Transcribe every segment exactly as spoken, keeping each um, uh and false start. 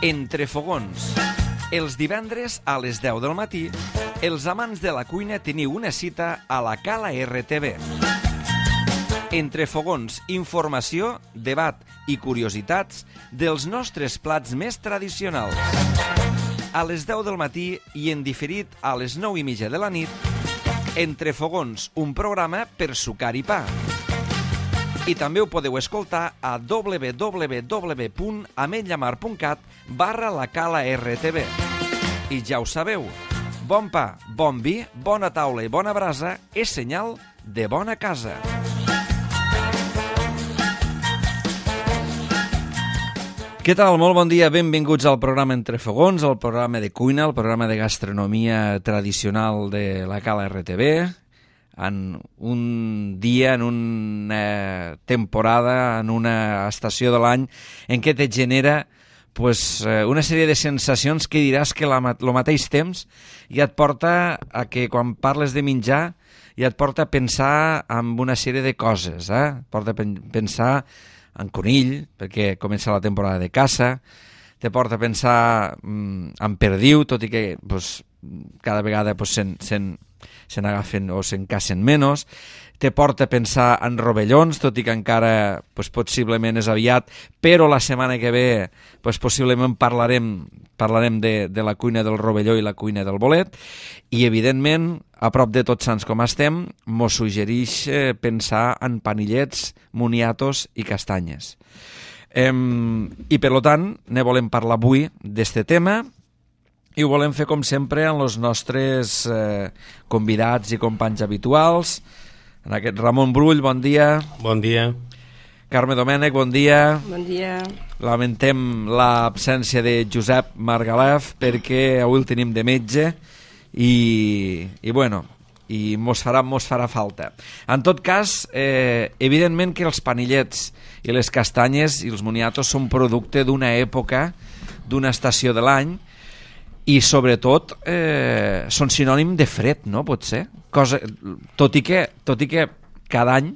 Entre fogons. Els divendres a les deu del matí, els amants de la cuina teniu una cita a la Cala R T V. Entre fogons, informació, debat i curiositats dels nostres plats més tradicionals. A les deu del matí i en diferit a les nou i mitja de la nit, Entre fogons, un programa per sucar i pa. I també ho podeu escoltar a w w w punt ametlllamar punt cat barra la Cala R T V. I ja ho sabeu, bon pa, bon vi, bona taula i bona brasa és senyal de bona casa. Què tal? Molt bon dia, benvinguts al programa Entre fogons, el programa de cuina, el programa de gastronomia tradicional de la Cala R T V, en un dia, en una temporada, en una estació de l'any en què te genera pues, una sèrie de sensacions que diràs que el mateix temps ja et porta a que quan parles de menjar ja et porta a pensar en una sèrie de coses, eh? Porta a pensar en conill, perquè comença la temporada de caça, te porta a pensar mm, en perdiu, tot i que pues, cada vegada pues, se'n se se n'agafen o se'n cacen menys, te porta a pensar en rovellons, tot i que encara pues, possiblement és aviat, però la setmana que ve pues, possiblement parlarem, parlarem de, de la cuina del rovelló i la cuina del bolet, i evidentment, a prop de Tots Sants com estem, mos suggereix eh, pensar en panillets, moniatos i castanyes. Ehm, I per tant, ne volem parlar avui d'este tema, i ho volem fer, com sempre, amb els nostres eh, convidats i companys habituals. En aquest Ramon Brull, bon dia. Bon dia. Carme Domènech, bon dia. Bon dia. Lamentem l'absència de Josep Margalef perquè avui el tenim de metge i, i bueno, i mos farà, mos farà falta. En tot cas, eh, evidentment que els panillets i les castanyes i els moniatos són producte d'una època, d'una estació de l'any, i sobretot eh, són sinònim de fred, no? Potser. Cosa, tot, i que, tot i que cada any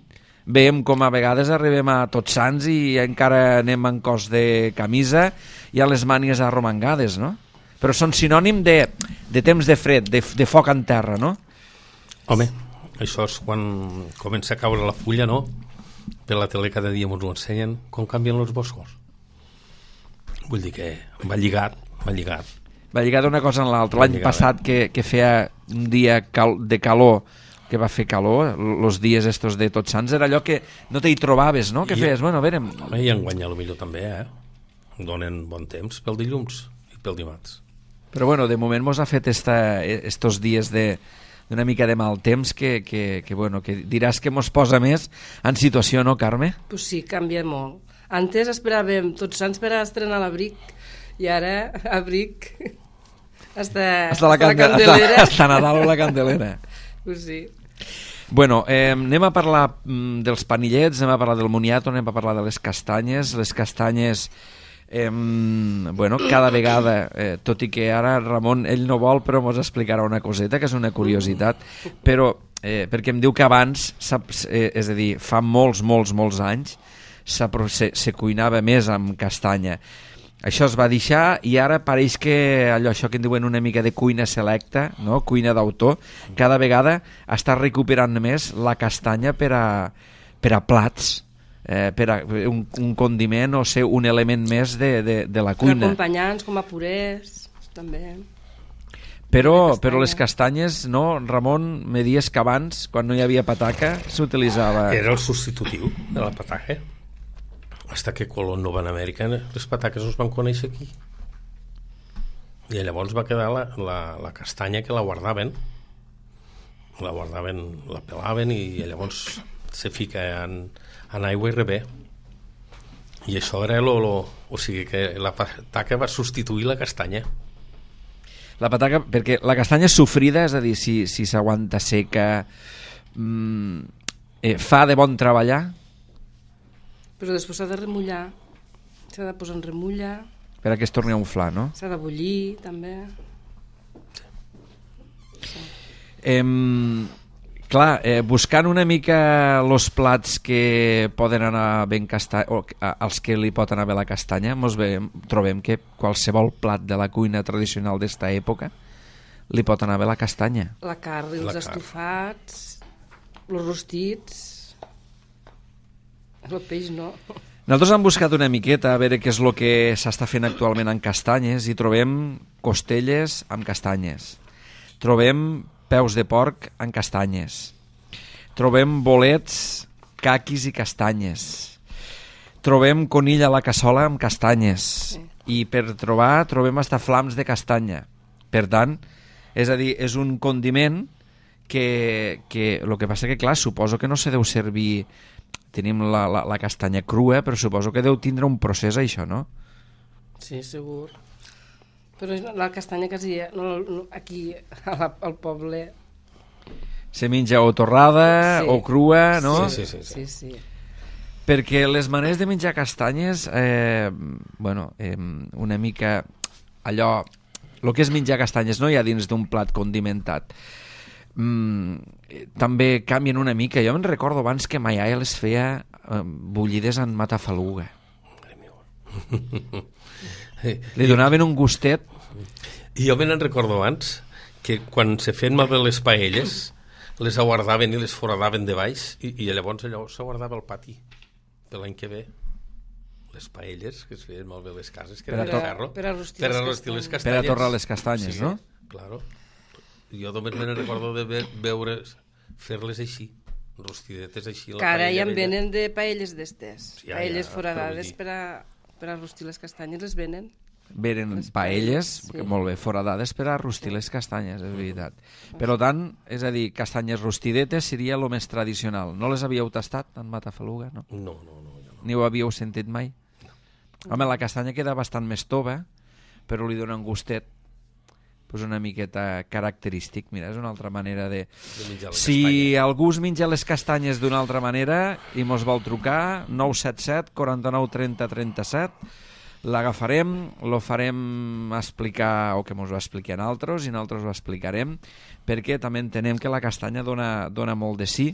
veiem com a vegades arribem a Tots Sants i encara anem en cos de camisa i a les mànies arromangades, no? Però són sinònim de, de temps de fred, de, de foc en terra, no? Home, això és quan comença a caure la fulla, no? Per la tele cada dia ens ho ensenyen com canvien els boscos. Vull dir que va lligat, va lligat. Va lligar d'una cosa en l'altra. L'any passat que, que feia un dia cal, de calor, que va fer calor, els dies estos de Tots Sants, era allò que no t'hi trobaves, no? Que I, feies, bueno, a veure... I enguany a lo millor també, eh? Donen bon temps pel dilluns i pel dimarts. Però bueno, de moment mos ha fet esta, estos dies de d'una mica de mal temps que, que, que, bueno, que diràs que mos posa més en situació, no, Carme? Pues sí, canvia molt. Antes esperàvem Tots Sants per a estrenar l'abric i ara abric hasta, hasta, la, hasta la candelera. Hasta, hasta Nadal o la candelera. Pues sí. Bueno, eh, anem a parlar mm, dels panillets, anem a parlar del moniato, anem a parlar de les castanyes. Les castanyes, eh, bueno, cada vegada, eh, tot i que ara Ramon, ell no vol, però mos explicarà una coseta, que és una curiositat, però eh, perquè em diu que abans, saps, eh, és a dir, fa molts, molts, molts anys, se, se cuinava més amb castanya. Això es va deixar i ara pareix que allò, això que en diuen una mica de cuina selecta, no? Cuina d'autor, cada vegada està recuperant més la castanya per a, per a plats, eh, per a un, un condiment o ser un element més de, de, de la cuina. Per acompanyants, com a purés, també. Però, però les castanyes, no, Ramon, me dies que abans, quan no hi havia pataca, s'utilitzava... Era el substitutiu de la pataca. Hasta que Colón no va a Amèrica, les pataques es van conèixer aquí. I llavors va quedar la, la, la castanya que la guardaven. La guardaven, la pelaven i llavors se fica en, en aigua i rebé. I això era lo, lo, o sigui que la pataca va substituir la castanya. La pataca, perquè la castanya és sofrida, és a dir, si, si s'aguanta seca, mmm, eh, fa de bon treballar? Però després s'ha de remullar, s'ha de posar en remulla. Per a que es torni a inflar, no? S'ha de bullir, també. Sí. Em, Clar, eh, buscant una mica els plats que poden anar ben castanya, o als que li pot anar bé la castanya, mos veiem, trobem que qualsevol plat de la cuina tradicional d'esta època li pot anar bé la castanya. La carn, els La carn. estofats, els rostits, el peix no. Nosaltres hem buscat una miqueta a veure què és el que s'està fent actualment en castanyes i trobem costelles amb castanyes. Trobem peus de porc en castanyes. Trobem bolets, caquis i castanyes. Trobem conill a la cassola amb castanyes. Sí. I per trobar trobem hasta flams de castanya. Per tant, és a dir, és un condiment que, que el que passa que, clar, suposo que no se deu servir... Tenim la, la, la castanya crua, però suposo que deu tindre un procés, això, no? Sí, segur. Però la castanya quasi no, no, aquí a la, al poble... Se menja o torrada Sí. o crua, no? Sí, sí, sí. Sí, sí. Perquè les maneres de menjar castanyes, eh, bueno, eh, una mica allò... El que és menjar castanyes no hi ha dins d'un plat condimentat. Mm, també canvien una mica. Jo me'n recordo abans que ma iaia les feia eh, bullides en matafaluga. Li donaven un gustet. I jo me'n recordo abans que quan se feien malbé les paelles les aguardaven i les foradaven de baix i, i llavors allò s'aguardava al pati de l'any que ve. Les paelles que es feien malbé les cases, que Per a eren to- de ferro, per a rostir per a les rostir les castanyes. Per a castanyes. torrar les castanyes, Sí, no? Claro. Jo només me'n recordo de ve veure fer-les així, rostidetes així. La Que ara ja paella en vella. venen de paelles d'estes. Ja, paelles ja, foradades però vull dir- per a, per a rostir les castanyes, les venen. Veren Les paelles, paelles, que sí. molt bé, foradades per a rostir les castanyes, és veritat. Per tant, és a dir, castanyes rostidetes seria el més tradicional. No les havíeu tastat en Matafaluga, no? No, no, no. Jo no. Ni ho havíeu sentit mai? Home, la castanya queda bastant més tova, però li dona un gustet pues una miqueta característic. Mira, és una altra manera de... De menjar la Si castanya. algú es menja les castanyes d'una altra manera i mos vol trucar, nou set set, quaranta-nou, trenta, trenta-set, l'agafarem, lo farem explicar, o que mos ho expliquen altres, i nosaltres ho explicarem, perquè també entenem que la castanya dona, dona molt de sí,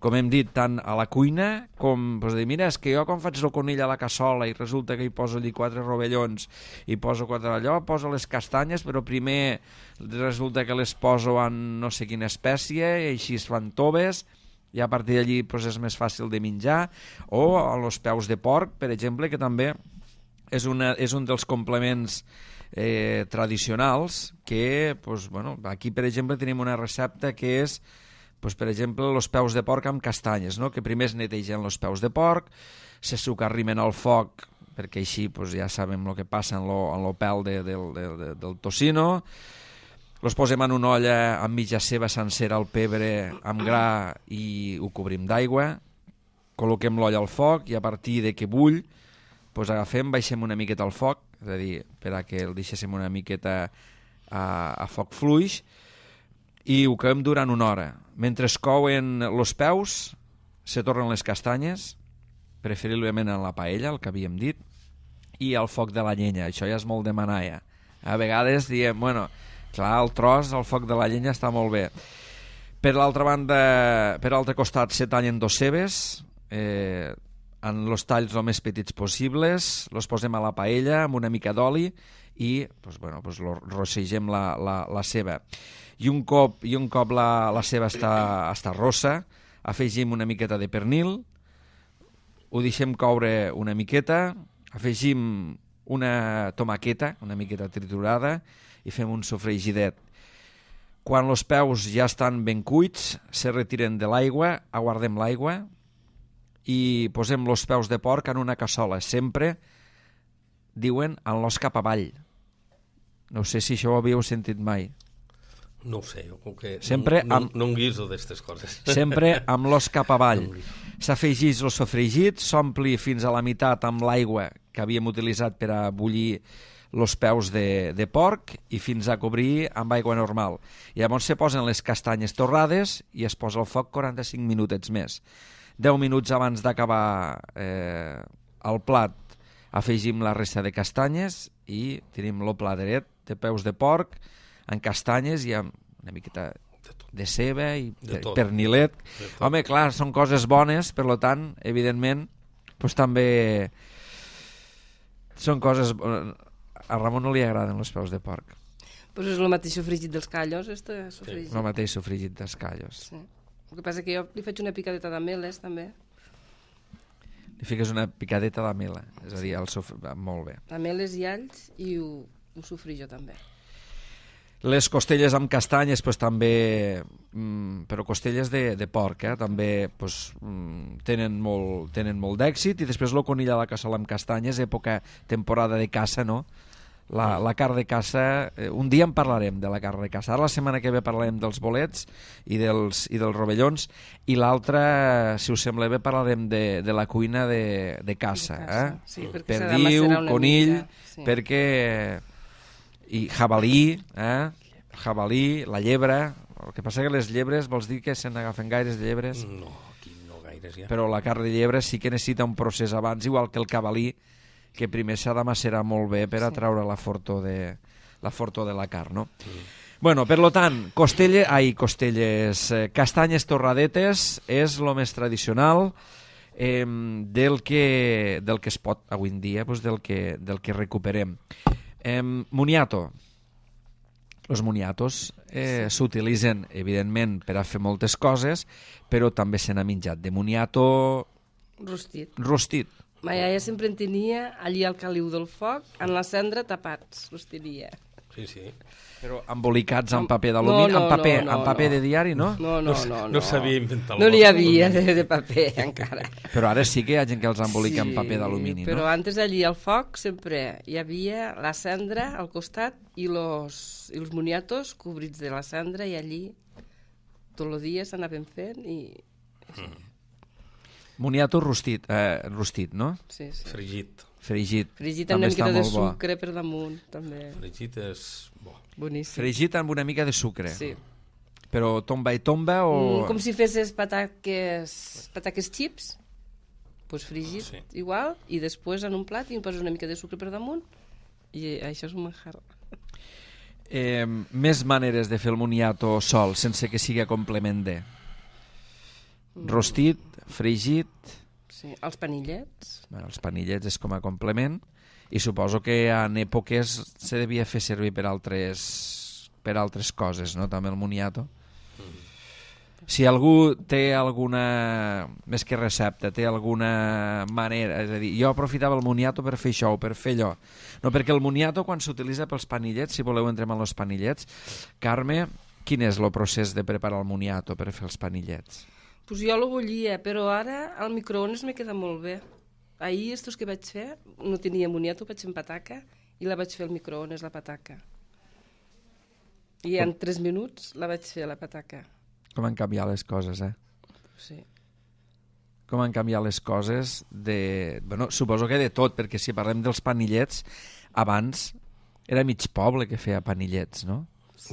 com hem dit, tant a la cuina com, doncs, dir, mira, és que jo quan faig el conill a la cassola i resulta que hi poso allí quatre rovellons i poso quatre allò, poso les castanyes, però primer resulta que les poso en no sé quina espècie i així es fan toves i a partir d'allí doncs, és més fàcil de menjar, o a los peus de porc, per exemple, que també és, una, és un dels complements eh, tradicionals que, doncs, bueno, aquí per exemple tenim una recepta que és pues, per exemple, els peus de porc amb castanyes, no? Que primer es netegen els peus de porc, se sucarrimen al foc, perquè així pues, ja sabem el que passa en lo, en lo pèl de, de, de, de, del tocino, els posem en una olla amb mitja ceba sencera, el pebre amb gra i ho cobrim d'aigua, col·loquem l'olla al foc i a partir de que bull, pues, agafem, baixem una miqueta al foc, és a dir, per a que el deixéssim una miqueta a, a foc fluix, i ho coem durant una hora. Mentre es couen els peus, se tornen les castanyes, preferiblement en la paella, el que havíem dit, i al foc de la llenya. Això ja és molt demanar, ja. A vegades diem, bueno, clar, el tros al foc de la llenya està molt bé. Per l'altra banda, per l'altre costat, se tallen dos cebes, eh, en els talls el més petits possibles, els posem a la paella amb una mica d'oli i pues, bueno, pues, lo, rossegem la, la, la ceba. I un cop, i un cop la, la ceba està, està rossa, afegim una miqueta de pernil, ho deixem coure una miqueta, afegim una tomaqueta, una miqueta triturada, i fem un sofregidet. Quan els peus ja estan ben cuits, se retiren de l'aigua, aguardem l'aigua i posem els peus de porc en una cassola. Sempre diuen en l'os cap avall. No sé si això ho havíeu sentit mai. No ho sé, jo com que Sempre no, amb- no, no em guiso d'aquestes coses. Sempre amb l'os cap avall. No em guiso. S'afegeix el sofregit, s'ompli fins a la meitat amb l'aigua que havíem utilitzat per a bullir els peus de, de porc i fins a cobrir amb aigua normal. I llavors se posen les castanyes torrades i es posa al foc quaranta-cinc minutets més. deu minuts abans d'acabar eh, el plat afegim la resta de castanyes i tenim el plateret de peus de porc en castanyes i amb una miqueta de ceba i De tot. pernilet. De tot. Home, clar, són coses bones, per lo tant, evidentment, doncs també són coses... A Ramon no li agraden els peus de porc. Pues és el mateix sofregit dels callos, este sofregit. El mateix sofregit dels callos. Sí. El que passa que jo li faig una picadeta d'ameles, també. Li fiques una picadeta d'amela, és a dir, el sof... molt bé. Ameles i alls i ho, ho sofrí jo també. Les costelles amb castanyes, pues, també, mm, però costelles de, de porc, eh, també pues, mm, tenen molt, tenen molt d'èxit. I després el conill a la cassola amb castanyes, època, temporada de caça, no? La, la carn de caça, eh, un dia en parlarem de la carn de caça. Ara la setmana que ve parlarem dels bolets i dels, i dels rovellons, i l'altra, si us sembla bé, parlarem de, de la cuina de, de caça. De caça, Eh? sí, perquè s'ha de Perdiu, macerar una conill, mica, sí. perquè... I jabalí, eh? Jabalí, la llebre. El que passa que les llebres, vols dir que se n'agafen gaires de llebres? No, aquí no gaires ja. Però la carn de llebre sí que necessita un procés abans, igual que el cavalí, que primer s'ha de macerar molt bé per a treure la fortor de la, fortor de la carn, no? Mm. Bueno, per lo tant, costelle, ai, costelles, eh, castanyes torradetes és el més tradicional eh, del, que, del que es pot avui en dia, doncs del, que, del que recuperem. Eh, moniato. Els moniatos eh, s'utilitzen, evidentment, per a fer moltes coses, però també se n'ha menjat de moniato Rostit. rostit. Ma iaia sempre en tenia allí al caliu del foc, en la cendra tapats, los tenia. Sí, sí. Però embolicats amb paper d'alumini, No, no, amb paper, no, no, amb paper no. de diari, no? No, no, no. No, no sabia inventar No el n'hi vostre. havia de, de paper, encara. Però ara sí que hi ha gent que els embolica amb paper d'alumini, no? Però antes allí al foc sempre hi havia la cendra al costat i los, i els moniatos cobrits de la cendra, i allí tot el dia s'anaven fent i... Mm. Moniato rostit, eh, rostit, no? Sí, sí. Fregit. Fregit. Fregit amb també una està mica de molt bo. sucre per damunt, també. Fregit és bo. Boníssim. Fregit amb una mica de sucre. Sí. Però tomba i tomba o... Mm, com si fessis pataques, pataques chips, pues fregit Sí. igual, i després en un plat i em poses una mica de sucre per damunt, i això és un manjar. Eh, més maneres de fer el moniato sol, sense que sigui a complement de... Rostit, fregit, Sí. Els panillets, bueno, els panillets és com a complement, i suposo que en èpoques se devia fer servir per altres, per altres coses, no? També el moniato. Si algú té alguna, més que recepta, té alguna manera, és a dir, jo aprofitava el moniato per fer això o per fer allò. No, perquè el moniato, quan s'utilitza pels panillets, si voleu entrem en els panillets, Carme, quin és el procés de preparar el moniato per fer els panillets? pues jo lo bullia, però ara al microones me queda molt bé. Ahir, estos que vaig fer, no tenia moniato, vaig fer en pataca, i la vaig fer al microones, la pataca. I en tres minuts la vaig fer, la pataca. Com han canviat les coses, eh? Sí. Com han canviat les coses de... Bueno, suposo que de tot, perquè si parlem dels panillets, abans era mig poble que feia panillets, no?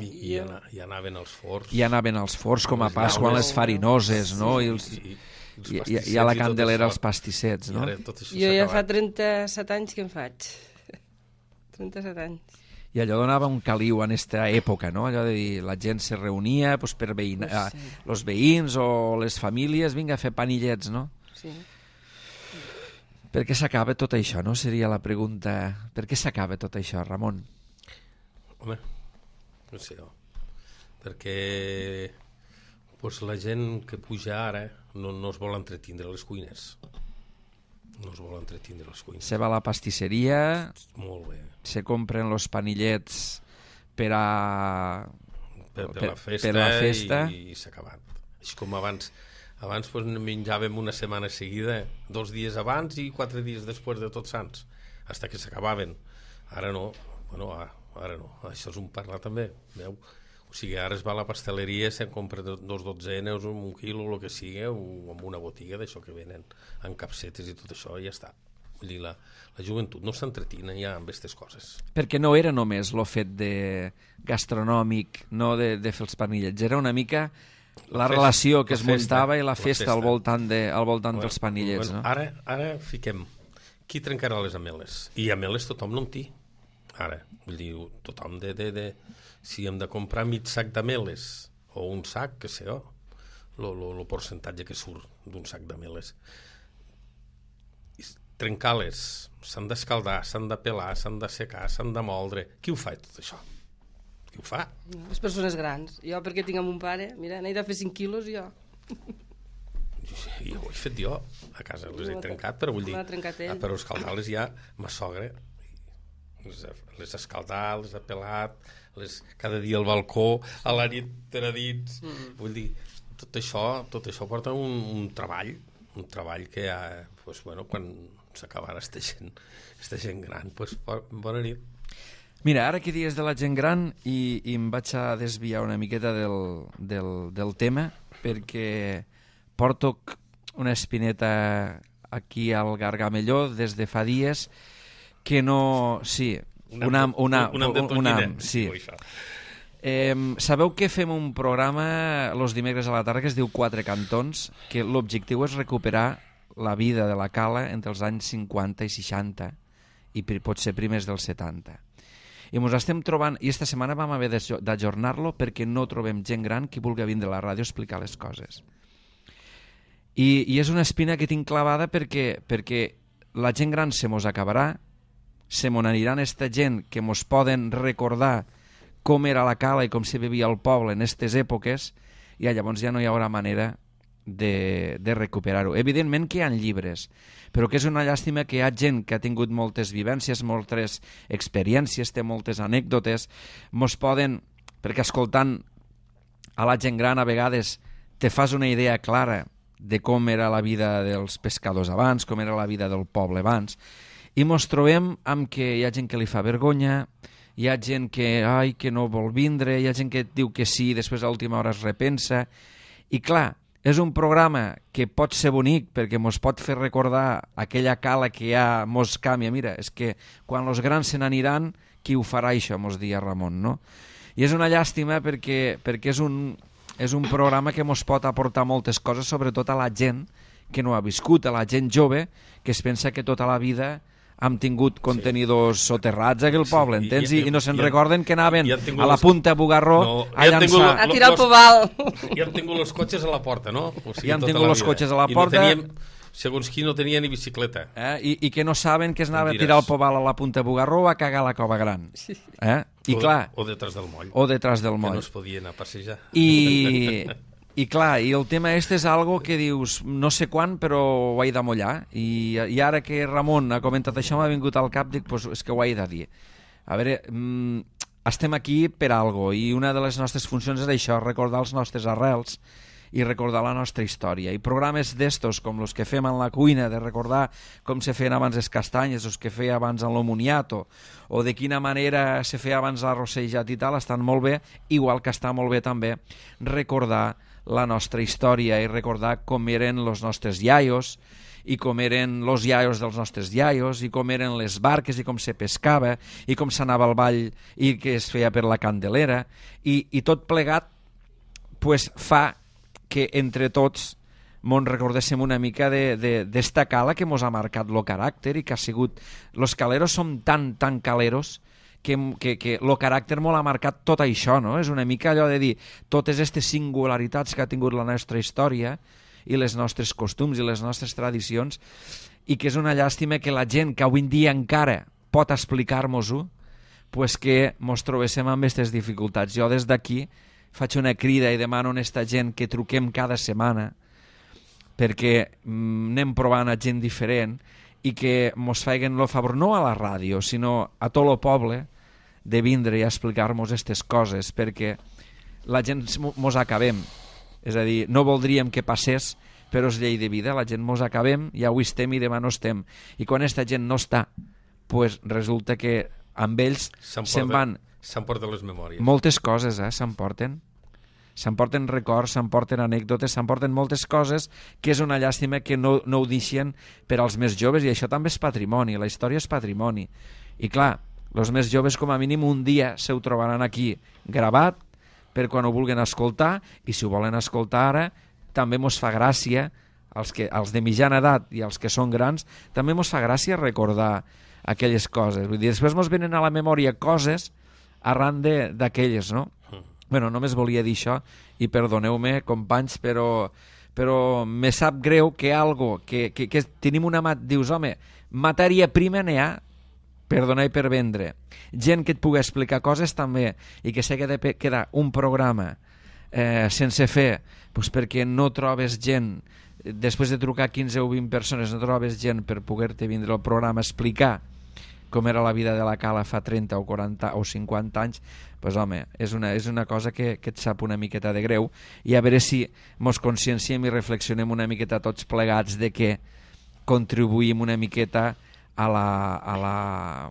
I, i, ana, i anaven als forns. I anaven als forns com a Les Pasqua, llaunes. les farinoses, no? I, els, I, i, els i, i, pastissets i a la i tot Candelera això. els pastissets, no? I ara tot això Jo s'ha ja fa acabat. trenta-set anys que en faig. trenta-set anys. I allò donava un caliu en aquesta època, no? Allò de dir, la gent se reunia pues, per veïna, Pues sí. eh, els veïns o les famílies, vinga a fer panillets, no? Sí. Per què s'acaba tot això, no? Seria la pregunta. Per què s'acaba tot això, Ramon? Home, no sé jo. Perquè pues, la gent que puja ara no, no es vol entretindre a les cuines. No es vol entretindre a les cuines. Se va a la pastisseria, Molt bé. se compren los panillets per a... Per, per, Per- la festa, per la festa. i, i s'ha acabat. És com abans. Abans pues, menjàvem una setmana seguida, dos dies abans i quatre dies després de Tots Sants, fins que s'acabaven. Ara no. Bueno, ara, ara no. Això és un parlar també, veu? O sigui, ara es va a la pasteleria, se'n compra dos dotzenes, un quilo, el que sigui, o amb una botiga d'això que venen en capsetes i tot això, i ja està. Vull dir, la, la joventut no s'entretina ja amb aquestes coses. Perquè no era només el fet de gastronòmic, no de, de fer els panillets, era una mica la, La festa, relació que la es festa, muntava i la la festa, festa. al voltant, de, al voltant Bueno, dels panillets, bueno, no? Ara, ara fiquem, qui trencarà les ameles? I ameles tothom no en té. Ara, vull dir, tothom de, de, de... Si hem de comprar mig sac d'ameles o un sac, que sé jo, el percentatge que surt d'un sac de meles. Trencar-les, s'han d'escaldar, s'han de pelar, s'han de secar, s'han de moldre. Qui ho fa, tot això? Qui ho fa? No, les persones grans. Jo, perquè tinc un pare, mira, n'he de fer cinc quilos, jo. I ho he fet jo, a casa les he trencat, però vull dir, per escaldar-les ja, ma sogra, les ha, les ha escaldat, les ha pelat, les, cada dia al balcó, a la nit per a dins, mm. vull dir, tot això, tot això porta un, un treball, un treball que ja, pues, bueno, quan s'acabarà esta gent, esta gent gran, pues, bona nit. Mira, ara que dius de la gent gran i, i em vaig a desviar una miqueta del, del, del tema, perquè porto una espineta aquí al Gargamelló des de fa dies que no... Sí, una... una, una, una, una sí. Eh, sabeu que fem un programa els dimecres a la tarda que es diu Quatre Cantons, que l'objectiu és recuperar la vida de la cala entre els anys cinquanta i seixanta i potser primers dels setanta. I ens estem trobant, i esta setmana vam haver d'ajornar-lo perquè no trobem gent gran que vulgui vindre a la ràdio a explicar les coses. I, i és una espina que tinc clavada perquè, perquè la gent gran se mos acabarà, se mos aniran esta gent que mos poden recordar com era la cala i com se vivia al poble en aquestes èpoques, i llavors ja no hi haurà manera de, de recuperar-ho. Evidentment que hi ha llibres, però que és una llàstima que hi ha gent que ha tingut moltes vivències, moltes experiències, té moltes anècdotes, mos poden, perquè escoltant a la gent gran a vegades te fas una idea clara de com era la vida dels pescadors abans, com era la vida del poble abans, i mos trobem amb que hi ha gent que li fa vergonya, hi ha gent que, ai, que no vol vindre, hi ha gent que diu que sí i després a l'última hora es repensa, i clar, és un programa que pot ser bonic perquè mos pot fer recordar aquella cala que ja mos canvia. Mira, és que quan els grans se n'aniran, qui ho farà això, mos dia Ramon, no? I és una llàstima perquè, perquè és, un, és un programa que mos pot aportar moltes coses, sobretot a la gent que no ha viscut, a la gent jove que es pensa que tota la vida hem tingut contenidors sí. soterrats aquí al poble, sí, entens? I, i, i no se'n recorden que anaven a la punta Bugarró no, a llançar... A tirar el pobal. I han tingut els cotxes a la porta, no? O sigui, I han tingut els cotxes a la porta. I no teníem, segons qui no tenia ni bicicleta. Eh? I, I que no saben que es anava a tirar el pobal a la punta Bugarró o a cagar a la Cova Gran. Eh? I o, clar... O detrás del moll. O detrás del moll. Que no es podia anar a passejar. I... I clar, i el tema este és algo que dius, no sé quan, però ho he de mullar. I, i ara que Ramon ha comentat això, m'ha vingut al cap, dic, pues, és que ho he de dir. A veure, mm, estem aquí per algo, i una de les nostres funcions és això, recordar els nostres arrels i recordar la nostra història. I programes d'estos, com els que fem en la cuina, de recordar com se feien abans les castanyes, els que feia abans en l'omoniato, o de quina manera se feia abans l'arrossejat i tal, estan molt bé, igual que està molt bé també recordar la nostra història i recordar com eren els nostres iaios i com eren els iaios dels nostres iaios i com eren les barques i com se pescava i com s'anava al ball i que es feia per la Candelera i, i tot plegat pues, fa que entre tots mos recordéssim una mica d'esta cala que mos ha marcat el caràcter i que ha sigut... Los caleros som tan, tan caleros que, que, que el caràcter molt ha marcat tot això, no? És una mica allò de dir totes aquestes singularitats que ha tingut la nostra història i les nostres costums i les nostres tradicions i que és una llàstima que la gent que avui en dia encara pot explicar-nos-ho pues que mos trobéssim amb aquestes dificultats. Jo des d'aquí faig una crida i demano a aquesta gent que truquem cada setmana perquè mm, anem provant a gent diferent i que mos feien el favor no a la ràdio sinó a tot el poble de vindre i explicar-nos aquestes coses perquè la gent mos acabem, és a dir, no voldríem que passés però és llei de vida, la gent mos acabem i avui estem i demà no estem i quan aquesta gent no està pues resulta que amb ells se'n van s'emporten les memòries moltes coses, eh, s'emporten s'emporten records, s'emporten anècdotes, s'emporten moltes coses que és una llàstima que no, no ho deixen per als més joves i això també és patrimoni, la història és patrimoni i clar, els més joves com a mínim un dia se ho trobaran aquí gravat per quan ho vulguin escoltar i si ho volen escoltar ara també mos fa gràcia els, que, els de mitjana edat i els que són grans també mos fa gràcia recordar aquelles coses, vull dir, després mos venen a la memòria coses arran d'aquelles, no? Bueno, només volia dir això, i perdoneu-me, companys, però, però me sap greu que algo, que, que, que tenim una... Mat... Dius, home, matèria prima n'hi ha per donar i per vendre. Gent que et pugui explicar coses també, i que sé que ha de quedar un programa eh, sense fer, doncs perquè no trobes gent, després de trucar quinze o vint persones, no trobes gent per poder-te vindre al programa a explicar com era la vida de la Cala fa trenta o quaranta o cinquanta anys, doncs home, és una, és una cosa que, que et sap una miqueta de greu, i a veure si mos conscienciem i reflexionem una miqueta tots plegats de que contribuïm una miqueta a la, a la,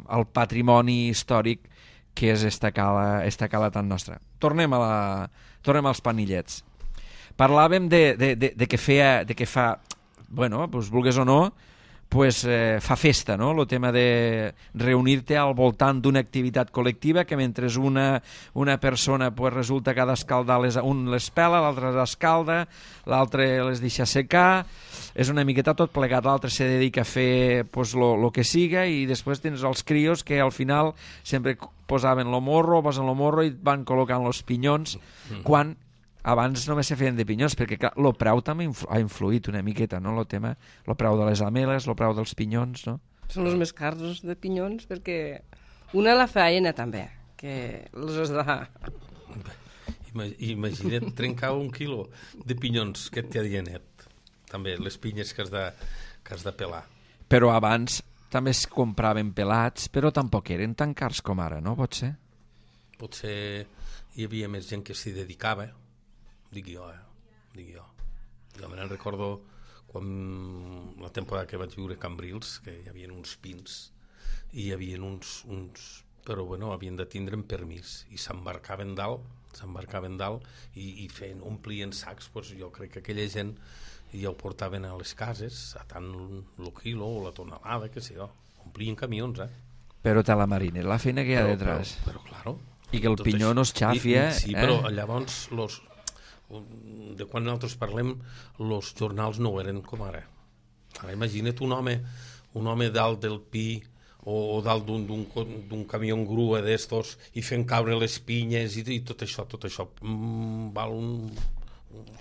al patrimoni històric que és esta cala, esta cala tan nostra. Tornem, a la, tornem als panillets. Parlàvem de, de, de, de, que, feia, de que fa, bueno, doncs vulgues o no, pues, eh, fa festa, no? El tema de reunir-te al voltant d'una activitat col·lectiva que mentre una, una persona pues, resulta que ha d'escaldar, les, un les pela, l'altre les escalda, l'altre les deixa secar, és una miqueta tot plegat, l'altre se dedica a fer pues, lo, lo que siga, i després tens els crios que al final sempre posaven lo morro, posen lo morro i van col·locant los pinyons, mm. quan abans només se feien de pinyons, perquè clar, el preu també influ ha influït una miqueta, no? El tema, el preu de les ameles, el preu dels pinyons, no? Són els més cars de pinyons, perquè una la faena també, que els has de... Imagina't trencar un quilo de pinyons que et té adienet, també, les pinyes que has de, que has de pelar. Però abans també es compraven pelats, però tampoc eren tan cars com ara, no? Pot ser? Potser hi havia més gent que s'hi dedicava, dic jo, eh? Dic jo. Jo me'n recordo quan la temporada que vaig viure a Cambrils, que hi havia uns pins i hi havia uns, uns... però bueno, havien de tindre un permís i s'embarcaven dalt, s'embarcaven dalt i, i feien, omplien sacs, doncs jo crec que aquella gent ja ho portaven a les cases, a tant el quilo o la tonelada, que sé jo, omplien camions, eh? Però te la marina, la feina que hi ha però, detrás. Però, però claro. I que el pinyó no es xafi, eh? Sí, però llavors los... de quan nosaltres parlem, els jornals no eren com ara. Ara imagina't un home, un home dalt del pi o, o dalt d'un camió en grua d'estos i fent caure les pinyes i, i tot això, tot això mm, val un...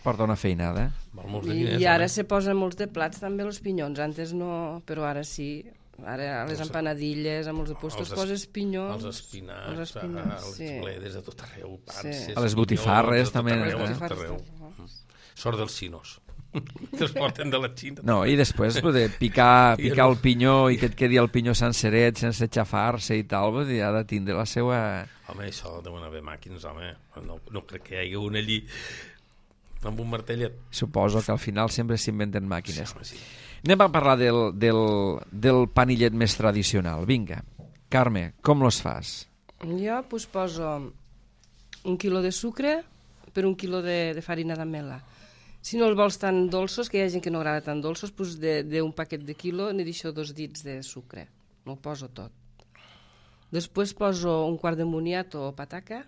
Porta una feinada. Val molts de diners. I ara home. se posen molts de plats també els pinyons, antes no, però ara sí. Ara a les empanadilles, amb els de postos, els poses pinyons. Els espinacs, els, espinacs, els sí. bledes de tot arreu, panses, Sí. A les botifarres pinyons, també, de tot arreu, eh? de tot arreu. Sort dels xinos, que els porten de la Xina. No, i després de picar, picar el pinyó i que et quedi el pinyó senceret, sense xafar-se i tal, vull dir, ha de tindre la seva... Home, això deuen haver màquines, home. No, no crec que hi hagi un allí amb un martellet. Suposo que al final sempre s'inventen màquines. Sí, home, sí. Anem a parlar del, del, del panillet més tradicional. Vinga, Carme, com los fas? Jo pues, poso un quilo de sucre per un quilo de, de farina d'amela. Si no el vols tan dolços, que hi ha gent que no agrada tan dolços, pues d'un paquet de quilo n'hi deixo dos dits de sucre. No ho poso tot. Després poso un quart de moniato o pataca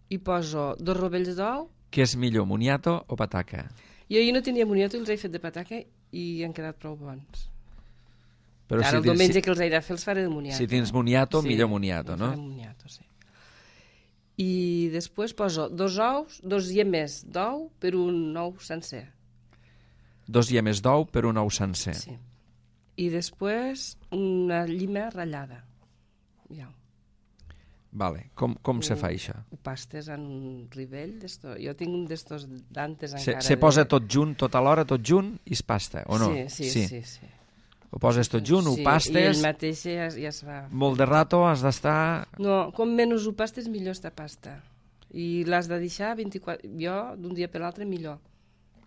i poso dos rovells d'ou. Què és millor, moniato o pataca? Jo ahir no tenia moniato i els he fet de pataca i han quedat prou bons. Però Ara si el tens, diumenge si, que els he de fer els faré de moniato. si tens moniato, Sí, millor moniato, no? faré moniato, sí. I després poso dos ous, dos llemes d'ou per un ou sencer. Dos llemes d'ou per un ou sencer. Sí. I després una llima ratllada. Ja. Vale. Com, com se fa això? Ho pastes en un rivell d'esto. Jo tinc un d'estos d'antes Se, encara. se posa tot junt, tot alhora, tot junt, i es pasta, o no? Sí, sí, sí. sí, sí. Ho poses tot junt, ho Sí, pastes, I ell mateix ja, ja es va... molt de rato has d'estar... No, com menys ho pastes, millor està pasta. I l'has de deixar vint-i-quatre... Jo, d'un dia per l'altre, millor.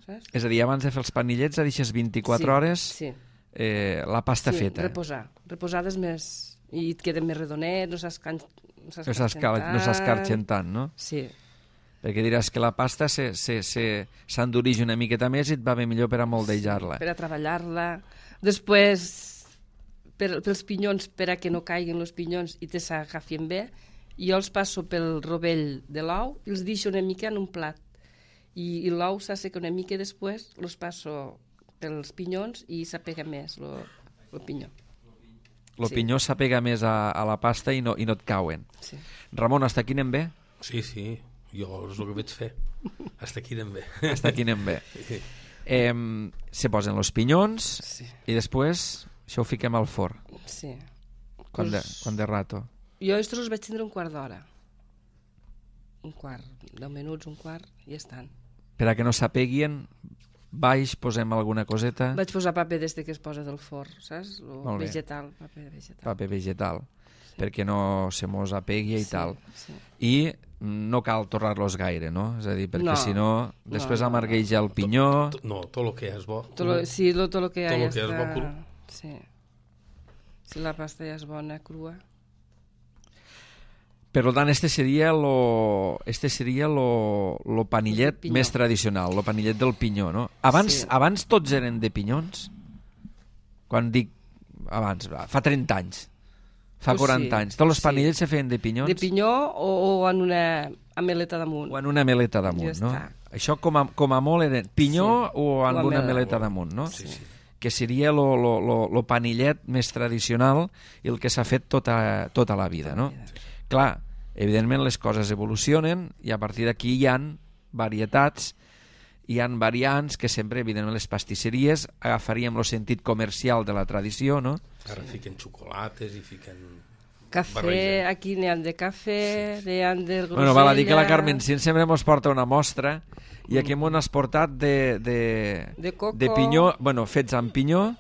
Saps? És a dir, abans de fer els panillets, deixes vint-i-quatre sí, hores sí. Eh, la pasta sí, feta. reposar. Reposades més... I et queda més redonet, no s'escan... No No s'escarxen tant, no? Sí. Perquè diràs que la pasta s'endureix una miqueta més i et va bé millor per a moldejar-la. Per a treballar-la. Després, per, pels pinyons, per a que no caiguin els pinyons i te s'agafin bé, jo els passo pel rovell de l'ou i els deixo una mica en un plat. I, i l'ou s'asseca una mica i després els passo pels pinyons i s'apega més el pinyó. El Sí. pinyó s'apega més a, a la pasta i no, i no et cauen. Sí. Ramon, hasta aquí anem bé? Sí, sí, Jo és el que vaig fer. Hasta aquí anem bé. Hasta aquí anem bé. Eh, se posen els pinyons Sí. i després això ho fiquem al forn. Sí. Quan de, Pues, quan de rato. Jo estos els vaig tindre un quart d'hora. Un quart, deu minuts, un quart, i ja estan. Per a que no s'apeguin, baix posem alguna coseta, Vaig posar paper des de que es posa del forn, saps? O Molt bé. vegetal, paper vegetal. paper vegetal, perquè no se mos apegui i Sí, tal. sí. I no cal torrar-los gaire, no? És a dir, perquè No. si no, després No, no, amargueja el pinyó. Tot- No, tot el que és bo. Tot lo, sí, lo, tot el que Tot ja lo que és està... bo cru. Sí. Si la pasta ja és bona, crua. Per tant, este seria lo, este seria lo, lo panillet El pinyó. més tradicional, lo panillet del pinyó, no? Abans, Sí. abans tots eren de pinyons? Quan dic abans, fa trenta anys, fa Pues quaranta sí, anys. Tots els sí. panillets se feien de pinyons? De pinyó o, o en una ameleta damunt. O en una meleta damunt, Ja no? està. Això com a, com a molt eren pinyó Sí. o en O una amela. meleta damunt, no? Sí, sí. Que seria lo, lo, lo, lo panillet més tradicional i el que s'ha fet tota, tota la vida, no? Clar, evidentment les coses evolucionen i a partir d'aquí hi han varietats, hi han variants que sempre, evidentment, les pastisseries agafaríem el sentit comercial de la tradició, no? Ara fiquen xocolates i fiquen... Cafè, barregen. aquí n'hi ha de cafè, n'hi ha de grosella... Bueno, val a dir que la Carmen Cint sempre ens porta una mostra i aquí m'ho has portat de, de, De coco. de pinyó, bueno, fets amb pinyó,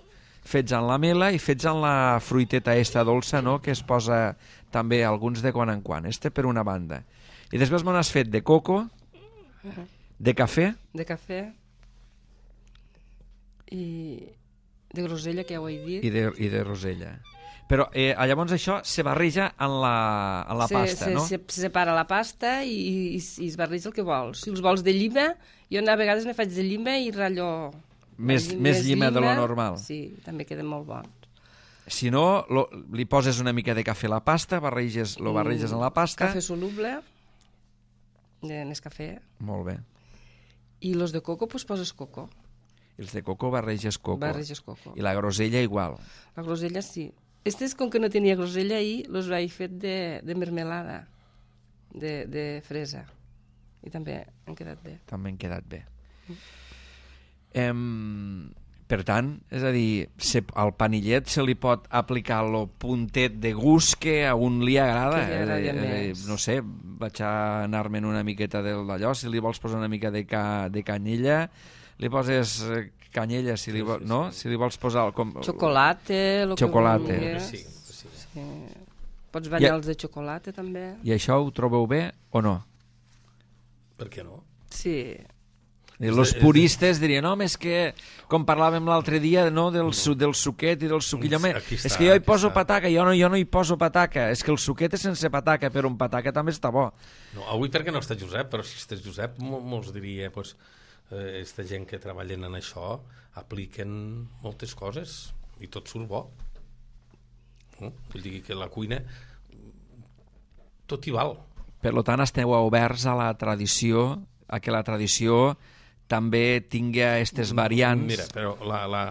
fets amb la mela i fets amb la fruiteta esta dolça, no?, que es posa també alguns de quan en quan. Este per una banda. I després m'ho has fet de coco, de cafè, De cafè i de grosella, que ja ho he dit. i de, i de rosella. Però eh, llavors això se barreja en la, en la se, pasta, se, no? Se, se separa la pasta i, i, i es barreja el que vols. Si els vols de llima, jo a vegades ne faig de llima i ratllo... Més, lli- més llima de lo normal. Sí, també queden molt bons. Si no, lo, li poses una mica de cafè a la pasta, barreges, lo barreges en la pasta... Cafè soluble, de Nescafé, Molt bé. i los de coco, pues poses coco. Els de coco barreges coco. Barreges coco. I la grosella igual. La grosella sí. Estes, com que no tenia grosella ahir, los vaig fet de, de mermelada, de, de fresa. I també han quedat bé. També han quedat bé. Em, per tant, és a dir, se, al panillet se li pot aplicar el puntet de gust que a un li agrada. Que li agradi És a dir, més. no sé, vaig a anar-me'n una miqueta d'allò, si li vols posar una mica de, ca, de canyella, li poses eh, canyella, si li, vol, no? Si li vols posar... Com, Xocolate, lo Xocolate. que Que vulguis. sí, sí. Sí. Pots banyar-los Ja- de xocolate, també. I això ho trobeu bé o no? Per què no? Sí. I els puristes dirien, no, és que, com parlàvem l'altre dia, no, del, su, del suquet i del suquillo, home, Aquí és està, que jo hi aquí poso està. pataca, jo no, jo no hi poso pataca, és que el suquet és sense pataca, però un pataca també està bo. No, avui perquè no està Josep, però si estàs Josep, mo- molts diria, pues, eh, esta gent que treballen en això apliquen moltes coses i tot surt bo. No? Vull dir que la cuina tot hi val. Per tant, esteu oberts a la tradició, a que la tradició també tingui aquestes variants. Mira, però la, la...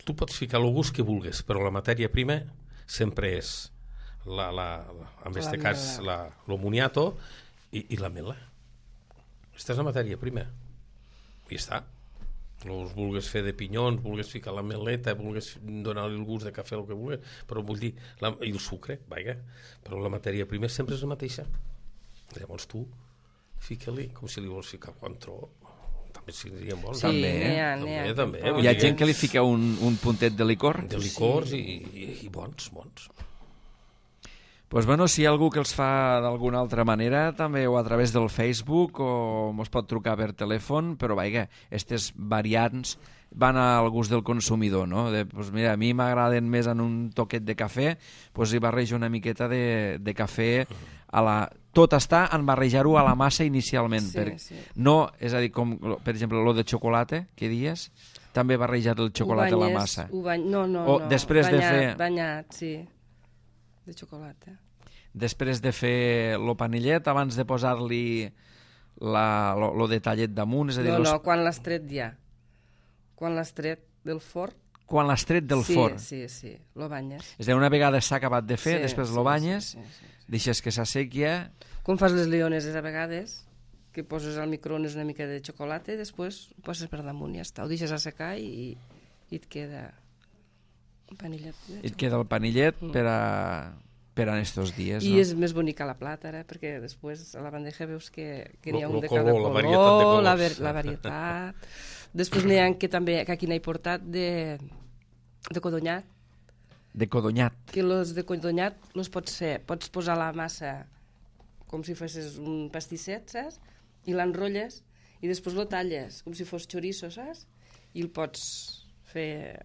tu pots ficar el gust que vulguis, però la matèria prima sempre és la, la, la, en La este cas mela. la, lo moniato i, i la mela. Aquesta és la matèria prima. I està. Els vulgues fer de pinyons, vulgues ficar la meleta, vulgues donar-li el gust de cafè, el que vulguis, però vull dir, la, i el sucre, vaja, però la matèria prima sempre és la mateixa. Llavors tu fica-li, com si li vols ficar coentró, també serien bons. Sí, També, n'hi ha, també, n'hi ha. també. Però- Vull Hi ha dir gent que li fica un, un puntet de licor? de licors i, i, i bons, bons. Pues bueno, si hi ha algú que els fa d'alguna altra manera, també o a través del Facebook o mos pot trucar per telèfon, però vaja, aquestes variants van al gust del consumidor, no? De, pues mira, a mi m'agraden més en un toquet de cafè, pues hi barrejo una miqueta de, de cafè a la... Tot està en barrejar-ho a la massa inicialment. Sí, per... sí. No, és a dir, com, per exemple, lo de xocolate, que dies, també barrejar el xocolate Ho a la banyes, massa. Ho bany... No, no, O no. després de banyat, fer- Banyat, sí. De xocolate. Després de fer el panillet, abans de posar-li la, lo, lo detallet damunt, és a dir, No, los, no, quan l'has tret ja. Quan l'has tret del forn. quan l'has tret del sí, forn. Sí, sí, lo banyes. És a dir, una vegada s'ha acabat de fer, Sí, després sí, lo banyes, sí, sí, sí, sí. deixes que s'assequi, Com fas les leoneses a vegades, que poses al microones una mica de xocolata i després ho poses per damunt i ja està. Ho deixes assecar i, i et queda un panillet. I et queda el panillet mm. per a... per a estos dies, I no? és més bonica la plata, ara, perquè després a la bandeja veus que, que n'hi ha Lo- un lo de cada color, la color, varietat de colors. la, ver, la varietat. Després n'hi ha que també, que aquí n'he portat de, de codonyat, De codonyat. que els de codonyat los pots fer, pots posar la massa com si fessis un pastisset, saps? I l'enrotlles i després lo talles com si fos chorizo, saps? I el pots fer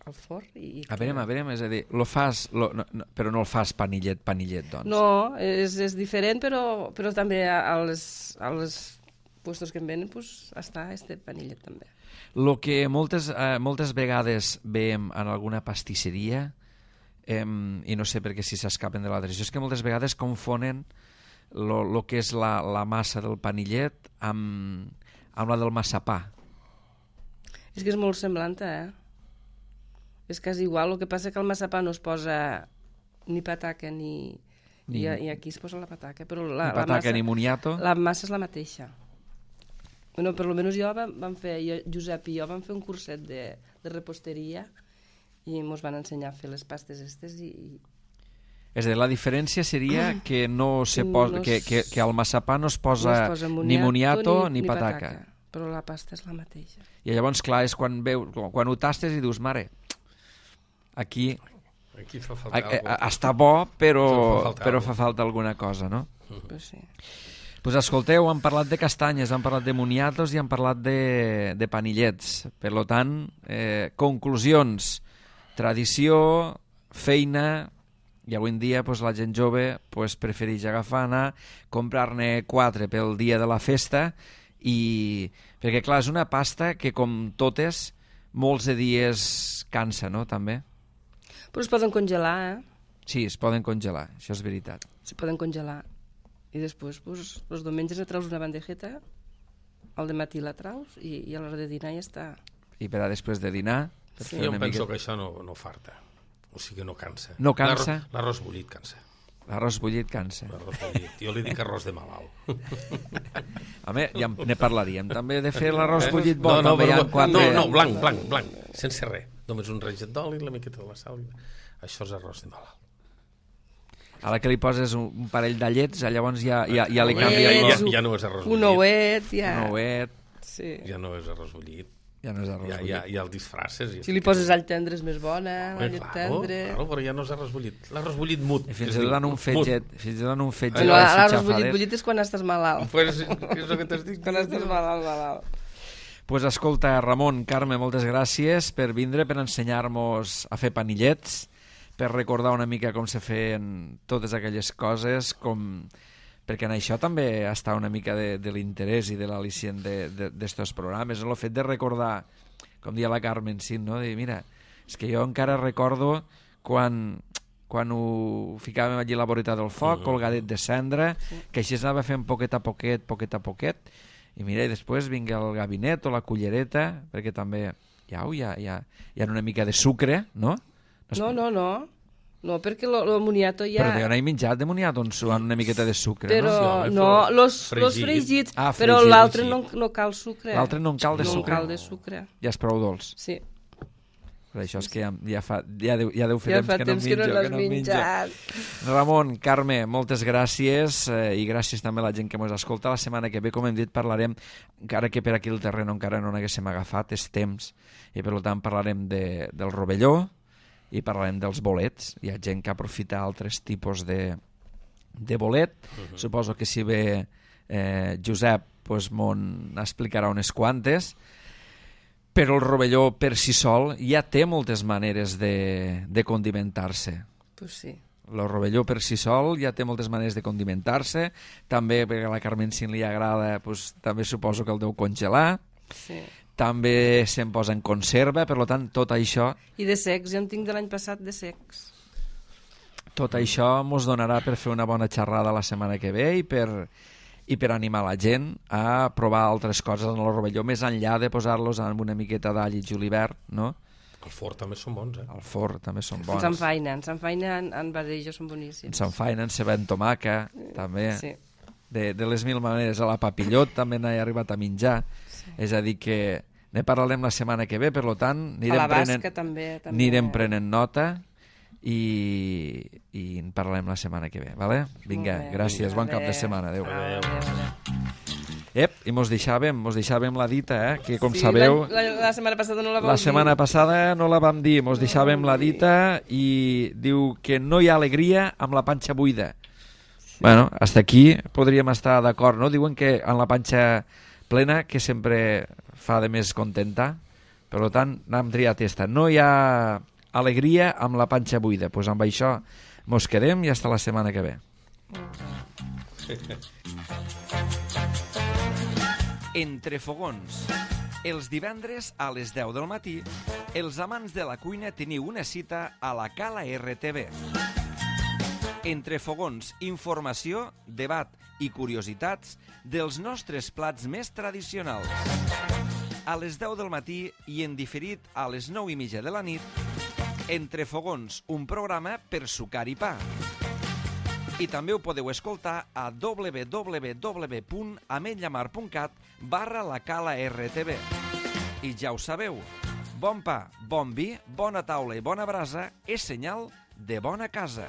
al forn i... A veure, a veure, és a dir, lo fas, lo, no, no, però no el fas panillet, panillet, doncs. No, és, és diferent, però, però també als, als puestos que en venen pues, està este panillet també. Lo que moltes, eh, moltes vegades veiem en alguna pastisseria, eh, i no sé perquè si s'escapen de la tradició, és que moltes vegades confonen lo, lo que és la, la massa del panillet amb, amb la del massapà. És que és molt semblant, eh? És quasi igual, el que passa que el massapà no es posa ni pataca ni... Ni- I, I aquí es posa la pataca, però la, Ni pataca la, massa, ni moniato. la massa és la mateixa. Bueno, per lo menys jo vam, vam fer, jo, Josep i jo vam fer un curset de, de reposteria i ens van ensenyar a fer les pastes estes i... i... És a dir, la diferència seria que, no se posa, No que, es- que, que al massapà no es posa, no es posa ni moniato ni, ni pataca. Però la pasta és la mateixa. I llavors, clar, és quan, veu, quan ho tastes i dius, mare, aquí Aquí fa a, falta a, alguna a, està bo, però, Fa falta però alguna fa falta alguna cosa, no? Pues sí. Pues escolteu, han parlat de castanyes, han parlat de moniatos i han parlat de, de panillets. Per lo tant, eh, conclusions, tradició, feina, i avui en dia pues, la gent jove pues, prefereix agafar, anar, comprar-ne quatre pel dia de la festa, i perquè clar, és una pasta que com totes, molts de dies cansa, no? També. Però es poden congelar, eh? Sí, es poden congelar, això és veritat. Se poden congelar. I després, pues, els diumenges et traus una bandejeta, al dematí la traus i, i a l'hora de dinar ja està. I per a després de dinar... Per Sí. fer Jo una em penso miqueta- que això no, no farta. O sigui, no cansa. No cansa? L'arròs- L'arròs bullit cansa. L'arròs bullit cansa. L'arròs bullit. Jo li dic arròs de malalt. Home, ja en- ne parlaríem també de fer l'arròs bullit bo. no, no, també hi ha no, quatre... no, no, blanc, blanc, blanc, sense res. Només un reget d'oli, la miqueta de la sal. Això és arròs de malalt. A la que li poses un, un parell de llets, llavors ja, ja, ja li Ja- canvia ja- el... ja- ja no és arròs Un bullit. ouet, ja. Un ouet, Sí. Ja no és arròs bullit. ja no és arròs Ja, bullit. ja, ja el disfraces. I Si li poses all tendre és més bona, la Home, llet claro, tendre... claro, però ja no és arròs bullit. L'arròs bullit mut. I fins es i diu. tot en un Mut. fetget, fins i tot en un fetget Bueno, així l'arròs xafadet. bullit, bullit és quan estàs malalt. Pues, és el que t'estic Quan estàs malalt, malalt. Pues escolta, Ramon, Carme, moltes gràcies per vindre, per ensenyar-nos a fer panillets, per recordar una mica com se feien totes aquelles coses, com... perquè en això també està una mica de, de l'interès i de l'al·licient d'estos programes, el fet de recordar, com dia la Carmen, sí, no? De dir, mira, és que jo encara recordo quan, quan ho ficàvem allí a la voreta del foc, Mhm. colgadet de cendra, que així es anava fent poquet a poquet, poquet a poquet, i mira, i després vinga el gabinet o la cullereta, perquè també hi ha, hi ha, hi ha, hi ha una mica de sucre, no? es- No, no, no. No, perquè lo, lo moniato ja... Però jo no he menjat de moniato on suan una miqueta de sucre, Però, no? Sí, home, no, però los, fregit. los fregits, Ah, però fregit, l'altre sí. no, no cal sucre. L'altre no en cal de no sucre. No cal de sucre, Ja és prou dolç. sí. Per això és que ja, ja, fa, ja, deu, ja deu fer Ja temps fa que no temps que no menjo, l'has que no menjo. menjat. Ramon, Carme, moltes gràcies eh, i gràcies també a la gent que ens escolta. La setmana que ve, com hem dit, parlarem, encara que per aquí el terreno encara no n'haguéssim agafat, és temps, i per tant parlarem de, del rovelló i parlarem dels bolets. Hi ha gent que aprofita altres tipus de, de bolet. Uh -huh. Suposo que si ve eh, Josep pues, m'on explicarà unes quantes, però el rovelló per si sol ja té moltes maneres de, de condimentar-se. Pues sí. El rovelló per si sol ja té moltes maneres de condimentar-se, també perquè a la Carmen si li agrada, pues, també suposo que el deu congelar, Sí. també se'n posa en conserva, per tant tot això I de secs, jo en tinc de l'any passat de secs. tot això mos donarà per fer una bona xerrada la setmana que ve i per, i per animar la gent a provar altres coses en el rovelló, més enllà de posar-los amb una miqueta d'all i julivert, no? El forn també són bons, eh? El forn també són bons. Ens enfainen, ens enfainen en badejo, són boníssims. Ens enfainen, ceba en tomaca, també. Sí. De, de les mil maneres. A la papillot també n'he arribat a menjar. Sí. És a dir que ne parlarem la setmana que ve, per tant, anirem, a la basca, prenent, també, també. anirem prenent nota i, i en parlarem la setmana que ve. Vale? Vinga, gràcies, bon cap de setmana. Adéu. Adéu. Adéu, adéu. Ep, i mos deixàvem, mos deixàvem la dita, eh? Que com sí, sabeu... La, la, la setmana passada no la vam La dir. setmana passada no la vam dir, mos deixàvem la dita i diu que no hi ha alegria amb la panxa buida. Sí. Bueno, hasta aquí podríem estar d'acord, no? Diuen que en la panxa plena que sempre fa de més contentar, per tant, n'hem triat esta. No hi ha alegria amb la panxa buida. Doncs pues amb això mos quedem i hasta la setmana que ve. Entre fogons. Els divendres a les deu del matí, els amants de la cuina teniu una cita a la Cala R T V. Entre fogons, informació, debat i curiositats dels nostres plats més tradicionals. A les deu del matí i en diferit a les nou i mitja de la nit, Entre fogons, un programa per sucar i pa. I també ho podeu escoltar a w w w punt ametlllamar punt cat barra la Cala R T V. I ja ho sabeu, bon pa, bon vi, bona taula i bona brasa és senyal de bona casa.